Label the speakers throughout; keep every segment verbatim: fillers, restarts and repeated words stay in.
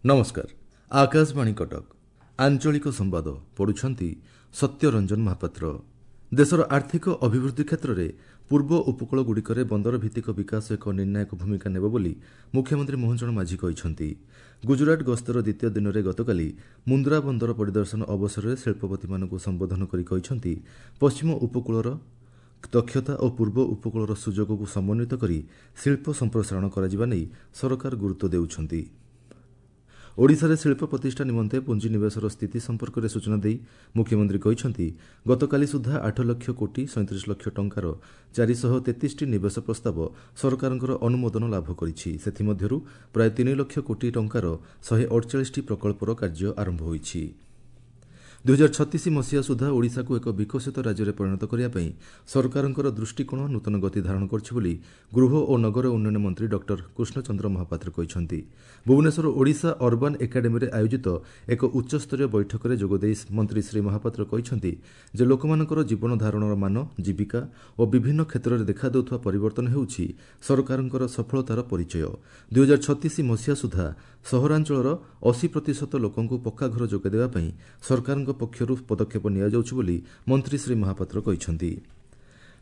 Speaker 1: ନମସ୍କାର, ଆକାଶବାଣୀ କଟକ, ଆଞ୍ଚଳିକ ସମ୍ବାଦ ପଢୁଛନ୍ତି ସତ୍ୟରଞ୍ଜନ ମହାପାତ୍ର। ଦେଶର ଆର୍ଥିକ ଅଭିବୃଦ୍ଧି କ୍ଷେତ୍ରରେ ପୂର୍ବ ଉପକୂଳଗୁଡ଼ିକରେ ବନ୍ଦର ଭିତ୍ତିକ ବିକାଶ ଏକ ନିର୍ଣ୍ଣାୟକ ଭୂମିକା ନେବ ବୋଲି ମୁଖ୍ୟମନ୍ତ୍ରୀ ମୋହନ ଚରଣ ମାଝୀ କହିଛନ୍ତି। ଗୁଜରାଟ ଗସ୍ତର ଦ୍ୱିତୀୟ ଦିନରେ ଗତକାଲି ମୁନ୍ଦ୍ରା ବନ୍ଦର ପରିଦର୍ଶନ ଅବସରରେ ଶିଳ୍ପପତିମାନଙ୍କୁ ସମ୍ବୋଧନ କରି କହିଛନ୍ତି, ପଶ୍ଚିମ ଉପକୂଳର ଦକ୍ଷତା ଓ ପୂର୍ବ ଉପକୂଳର ସୁଯୋଗକୁ ସମନ୍ୱିତ କରି ଶିଳ୍ପ ସମ୍ପ୍ରସାରଣ କରାଯିବା ନେଇ ସରକାର ଗୁରୁତ୍ୱ ଦେଉଛନ୍ତି। ଓଡ଼ିଶାରେ ଶିଳ୍ପ ପ୍ରତିଷ୍ଠା ନିମନ୍ତେ ପୁଞ୍ଜିନିବେଶର ସ୍ଥିତି ସମ୍ପର୍କରେ ସୂଚନା ଦେଇ ମୁଖ୍ୟମନ୍ତ୍ରୀ କହିଛନ୍ତି, ଗତକାଲି ସୁଦ୍ଧା ଆଠ ଲକ୍ଷ କୋଟି ସଇଁତିରିଶ ଲକ୍ଷ ଟଙ୍କାର ଚାରିଶହ ତେତିଶଟି ନିବେଶ ପ୍ରସ୍ତାବ ସରକାରଙ୍କର ଅନୁମୋଦନ ଲାଭ କରିଛି। ସେଥିମଧ୍ୟରୁ ପ୍ରାୟ ତିନି ଲକ୍ଷ କୋଟି ଟଙ୍କାର ଶହେ ଅଡ଼ଚାଳିଶଟି ପ୍ରକଳ୍ପର କାର୍ଯ୍ୟ ଆରମ୍ଭ ହୋଇଛି। ଦୁଇହଜାର ଛତିଶ ମସିହା ସୁଦ୍ଧା ଓଡ଼ିଶାକୁ ଏକ ବିକଶିତ ରାଜ୍ୟରେ ପରିଣତ କରିବା ପାଇଁ ସରକାରଙ୍କର ଦୃଷ୍ଟିକୋଣ ନୂତନ ଗତି ଧାରଣ କରିଛି ବୋଲି ଗୃହ ଓ ନଗର ଉନ୍ନୟନ ମନ୍ତ୍ରୀ ଡକ୍ଟର କୃଷ୍ଣଚନ୍ଦ୍ର ମହାପାତ୍ର କହିଛନ୍ତି। ଭୁବନେଶ୍ୱର ଓଡ଼ିଶା ଅର୍ବାନ୍ ଏକାଡେମୀରେ ଆୟୋଜିତ ଏକ ଉଚ୍ଚସ୍ତରୀୟ ବୈଠକରେ ଯୋଗଦେଇ ମନ୍ତ୍ରୀ ଶ୍ରୀ ମହାପାତ୍ର କହିଛନ୍ତି ଯେ ଲୋକମାନଙ୍କର ଜୀବନଧାରଣର ମାନ, ଜୀବିକା ଓ ବିଭିନ୍ନ କ୍ଷେତ୍ରରେ ଦେଖାଦେଉଥିବା ପରିବର୍ତ୍ତନ ହେଉଛି ସରକାରଙ୍କର ସଫଳତାର ପରିଚୟ। ଦୁଇହଜାର ଛତିଶ ମସିହା ସୁଦ୍ଧା ସହରାଞ୍ଚଳର ଅଶୀ ପ୍ରତିଶତ ଲୋକଙ୍କୁ ପକ୍କା ଘର ଯୋଗାଇ ଦେବା ପାଇଁ ସରକାରଙ୍କ ପକ୍ଷରୁ ପଦକ୍ଷେପ ନିଆଯାଉଛି ବୋଲି ମନ୍ତ୍ରୀ ଶ୍ରୀ ମହାପାତ୍ର କହିଛନ୍ତି।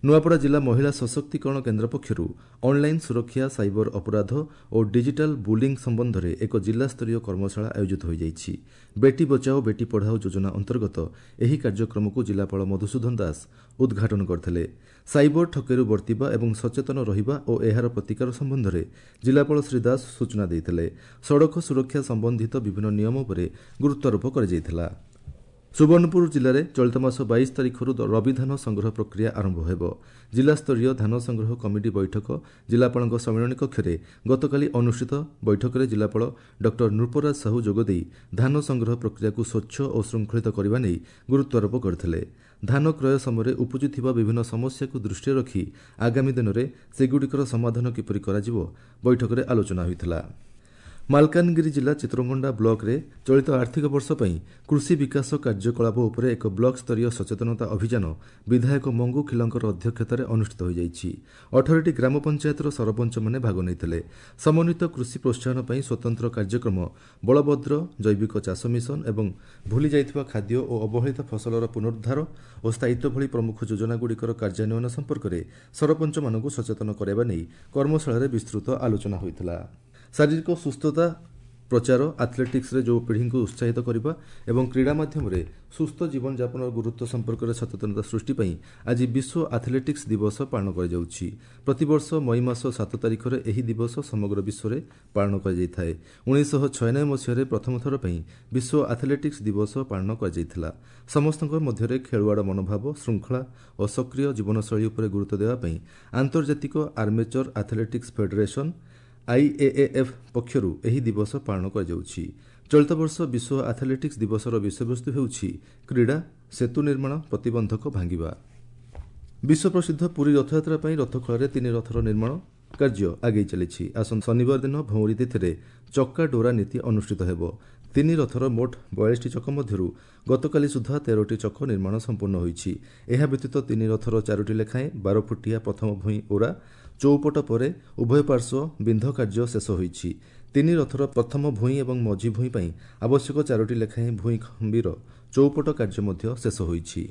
Speaker 1: ନୂଆପଡ଼ା ଜିଲ୍ଲା ମହିଳା ସଶକ୍ତିକରଣ କେନ୍ଦ୍ର ପକ୍ଷରୁ ଅନ୍ଲାଇନ୍ ସୁରକ୍ଷା, ସାଇବର ଅପରାଧ ଓ ଡିଜିଟାଲ ବୁଲିଂ ସମ୍ବନ୍ଧରେ ଏକ ଜିଲ୍ଲାସ୍ତରୀୟ କର୍ମଶାଳା ଆୟୋଜିତ ହୋଇଯାଇଛି। ବେଟି ବଚାଓ ବେଟି ପଢ଼ାଓ ଯୋଜନା ଅନ୍ତର୍ଗତ ଏହି କାର୍ଯ୍ୟକ୍ରମକୁ ଜିଲ୍ଲାପାଳ ମଧୁସୂଦନ ଦାସ ଉଦ୍ଘାଟନ କରିଥିଲେ। ସାଇବର ଠକେଇରୁ ବର୍ତ୍ତିବା ଏବଂ ସଚେତନ ରହିବା ଓ ଏହାର ପ୍ରତିକାର ସମ୍ବନ୍ଧରେ ଜିଲ୍ଲାପାଳ ଶ୍ରୀ ଦାସ ସୂଚନା ଦେଇଥିଲେ। ସଡ଼କ ସୁରକ୍ଷା ସମ୍ବନ୍ଧିତ ବିଭିନ୍ନ ନିୟମ ଉପରେ ଗୁରୁତ୍ୱାରୋପ କରାଯାଇଥିଲା। ସୁବର୍ଣ୍ଣପୁର ଜିଲ୍ଲାରେ ଚଳିତ ମାସ ବାଇଶ ତାରିଖରୁ ରବି ଧାନ ସଂଗ୍ରହ ପ୍ରକ୍ରିୟା ଆରମ୍ଭ ହେବ। ଜିଲ୍ଲାସ୍ତରୀୟ ଧାନ ସଂଗ୍ରହ କମିଟି ବୈଠକ ଜିଲ୍ଲାପାଳଙ୍କ ସମ୍ମିଳନୀ କକ୍ଷରେ ଗତକାଲି ଅନୁଷ୍ଠିତ ବୈଠକରେ ଜିଲ୍ଲାପାଳ ଡକ୍ଟର ନୃପରାଜ ସାହୁ ଯୋଗଦେଇ ଧାନ ସଂଗ୍ରହ ପ୍ରକ୍ରିୟାକୁ ସ୍ୱଚ୍ଛ ଓ ଶୃଙ୍ଖଳିତ କରିବା ନେଇ ଗୁରୁତ୍ୱାରୋପ କରିଥିଲେ। ଧାନ କ୍ରୟ ସମୟରେ ଉପୁଜୁଥିବା ବିଭିନ୍ନ ସମସ୍ୟାକୁ ଦୃଷ୍ଟିରେ ରଖି ଆଗାମୀ ଦିନରେ ସେଗୁଡ଼ିକର ସମାଧାନ କିପରି କରାଯିବ ବୈଠକରେ ଆଲୋଚନା ହୋଇଥିଲା। ମାଲକାନଗିରି ଜିଲ୍ଲା ଚିତ୍ରକୋଣ୍ଡା ବ୍ଲକରେ ଚଳିତ ଆର୍ଥିକ ବର୍ଷ ପାଇଁ କୃଷି ବିକାଶ କାର୍ଯ୍ୟକଳାପ ଉପରେ ଏକ ବ୍ଲକ ସ୍ତରୀୟ ସଚେତନତା ଅଭିଯାନ ବିଧାୟକ ମଙ୍ଗୁ ଖିଲଙ୍କର ଅଧ୍ୟକ୍ଷତାରେ ଅନୁଷ୍ଠିତ ହୋଇଯାଇଛି। ଅଠରଟି ଗ୍ରାମ ପଞ୍ଚାୟତର ସରପଞ୍ଚମାନେ ଭାଗ ନେଇଥିଲେ। ସମନ୍ୱିତ କୃଷି ପ୍ରୋତ୍ସାହନ ପାଇଁ ସ୍ୱତନ୍ତ୍ର କାର୍ଯ୍ୟକ୍ରମ ବଳଭଦ୍ର ଜୈବିକ ଚାଷ ମିଶନ ଏବଂ ଭୁଲି ଯାଇଥିବା ଖାଦ୍ୟ ଓ ଅବହେଳିତ ଫସଲର ପୁନରୁଦ୍ଧାର ଓ ସ୍ଥାୟିତ୍ୱ ଭଳି ପ୍ରମୁଖ ଯୋଜନାଗୁଡ଼ିକର କାର୍ଯ୍ୟାନ୍ୱୟନ ସମ୍ପର୍କରେ ସରପଞ୍ଚମାନଙ୍କୁ ସଚେତନ କରାଇବା ନେଇ କର୍ମଶାଳାରେ ବିସ୍ତୃତ ଆଲୋଚନା ହୋଇଥିଲା। ଶାରୀରିକ ସୁସ୍ଥତା ପ୍ରଚାର, ଆଥଲେଟିକ୍ସରେ ଯୁବପିଢ଼ିଙ୍କୁ ଉତ୍ସାହିତ କରିବା ଏବଂ କ୍ରୀଡ଼ା ମାଧ୍ୟମରେ ସୁସ୍ଥ ଜୀବନଯାପନର ଗୁରୁତ୍ୱ ସମ୍ପର୍କରେ ସଚେତନତା ସୃଷ୍ଟି ପାଇଁ ଆଜି ବିଶ୍ୱ ଆଥଲେଟିକ୍ସ ଦିବସ ପାଳନ କରାଯାଉଛି। ପ୍ରତିବର୍ଷ ମଇ ମାସ ସାତ ତାରିଖରେ ଏହି ଦିବସ ସମଗ୍ର ବିଶ୍ୱରେ ପାଳନ କରାଯାଇଥାଏ। ଉଣେଇଶହ ଛୟାନବେ ମସିହାରେ ପ୍ରଥମ ଥର ପାଇଁ ବିଶ୍ୱ ଆଥଲେଟିକ୍ସ ଦିବସ ପାଳନ କରାଯାଇଥିଲା। ସମସ୍ତଙ୍କ ମଧ୍ୟରେ ଖେଳୁଆଡ଼ ମନୋଭାବ, ଶୃଙ୍ଖଳା ଓ ସକ୍ରିୟ ଜୀବନଶୈଳୀ ଉପରେ ଗୁରୁତ୍ୱ ଦେବା ପାଇଁ ଆନ୍ତର୍ଜାତିକ ଆର୍ମେଚର ଆଥଲେଟିକ୍ସ ଫେଡେରେସନ୍ ଆଇଏଏଏଫ୍ ପକ୍ଷରୁ ଏହି ଦିବସ ପାଳନ କରାଯାଉଛି। ଚଳିତ ବର୍ଷ ବିଶ୍ୱ ଆଥଲେଟିକ୍ସ ଦିବସର ବିଷୟବସ୍ତୁ ହେଉଛି କ୍ରୀଡ଼ା ସେତୁ ନିର୍ମାଣ, ପ୍ରତିବନ୍ଧକ ଭାଙ୍ଗିବା। ବିଶ୍ୱପ୍ରସିଦ୍ଧ ପୁରୀ ରଥଯାତ୍ରା ପାଇଁ ରଥଖଳାରେ ତିନି ରଥର ନିର୍ମାଣ କାର୍ଯ୍ୟ ଆଗେଇ ଚାଲିଛି। ଆସନ୍ତା ଶନିବାର ଦିନ ଭଉଁରୀ ତିଥିରେ ଚକା ଡୋରା ନୀତି ଅନୁଷ୍ଠିତ ହେବ। ତିନି ରଥର ମୋଟ ବୟାଳିଶଟି ଚକ ମଧ୍ୟରୁ ଗତକାଲି ସୁଦ୍ଧା ତେରଟି ଚକ ନିର୍ମାଣ ସମ୍ପୂର୍ଣ୍ଣ ହୋଇଛି। ଏହା ବ୍ୟତୀତ ତିନି ରଥର ଚାରୋଟି ଲେଖାଏଁ ବାର ଫୁଟିଆ ପ୍ରଥମ ଭୂଇଁ ଓରା ଚଉପଟ ପରେ ଉଭୟ ପାର୍ଶ୍ୱ ବିନ୍ଧ କାର୍ଯ୍ୟ ଶେଷ ହୋଇଛି। ତିନି ରଥର ପ୍ରଥମ ଭୂଇଁ ଏବଂ ମଝି ଭୂଇଁ ପାଇଁ ଆବଶ୍ୟକ ଚାରୋଟି ଲେଖାଏଁ ଭୂଇଁ ଖମ୍ବୀର ଚଉପଟ କାର୍ଯ୍ୟ ମଧ୍ୟ ଶେଷ ହୋଇଛି।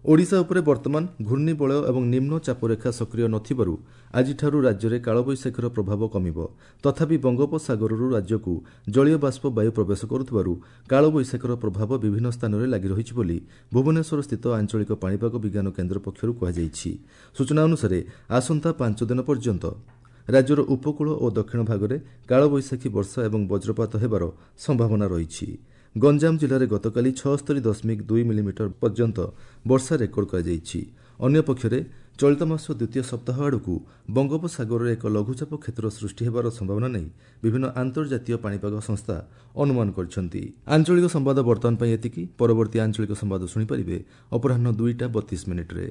Speaker 1: ଓଡ଼ିଶା ଉପରେ ବର୍ତ୍ତମାନ ଘୂର୍ଣ୍ଣିବଳୟ ଏବଂ ନିମ୍ନ ଚାପରେଖା ସକ୍ରିୟ ନଥିବାରୁ ଆଜିଠାରୁ ରାଜ୍ୟରେ କାଳବୈଶାଖୀର ପ୍ରଭାବ କମିବ। ତଥାପି ବଙ୍ଗୋପସାଗରରୁ ରାଜ୍ୟକୁ ଜଳୀୟ ବାଷ୍ପ ବାୟୁ ପ୍ରବେଶ କରୁଥିବାରୁ କାଳବୈଶାଖୀର ପ୍ରଭାବ ବିଭିନ୍ନ ସ୍ଥାନରେ ଲାଗି ରହିଛି ବୋଲି ଭୁବନେଶ୍ୱରସ୍ଥିତ ଆଞ୍ଚଳିକ ପାଣିପାଗ ବିଜ୍ଞାନ କେନ୍ଦ୍ର ପକ୍ଷରୁ କୁହାଯାଇଛି। ସୂଚନା ଅନୁସାରେ ଆସନ୍ତା ପାଞ୍ଚ ଦିନ ପର୍ଯ୍ୟନ୍ତ ରାଜ୍ୟର ଉପକୂଳ ଓ ଦକ୍ଷିଣ ଭାଗରେ କାଳବୈଶାଖୀ ବର୍ଷା ଏବଂ ବଜ୍ରପାତ ହେବାର ସମ୍ଭାବନା ରହିଛି। ଗଞ୍ଜାମ ଜିଲ୍ଲାରେ ଗତକାଲି ଛଅସ୍ତରୀ ଦଶମିକ ଦୁଇ ମିଲିମିଟର ପର୍ଯ୍ୟନ୍ତ ବର୍ଷା ରେକର୍ଡ କରାଯାଇଛି। ଅନ୍ୟପକ୍ଷରେ ଚଳିତ ମାସ ଦ୍ୱିତୀୟ ସପ୍ତାହ ଆଡ଼କୁ ବଙ୍ଗୋପସାଗରରେ ଏକ ଲଘୁଚାପ କ୍ଷେତ୍ର ସୃଷ୍ଟି ହେବାର ସମ୍ଭାବନା ନେଇ ବିଭିନ୍ନ ଆନ୍ତର୍ଜାତୀୟ ପାଣିପାଗ ସଂସ୍ଥା ଅନୁମାନ କରିଛନ୍ତି। ଆଞ୍ଚଳିକ ସମ୍ବାଦ ବର୍ତ୍ତମାନ ପାଇଁ ଏତିକି। ପରବର୍ତ୍ତୀ ଆଞ୍ଚଳିକ ସମ୍ବାଦ ଶୁଣିପାରିବେ ଅପରାହ୍ନ ଦୁଇଟା ବତିଶ ମିନିଟ୍ରେ।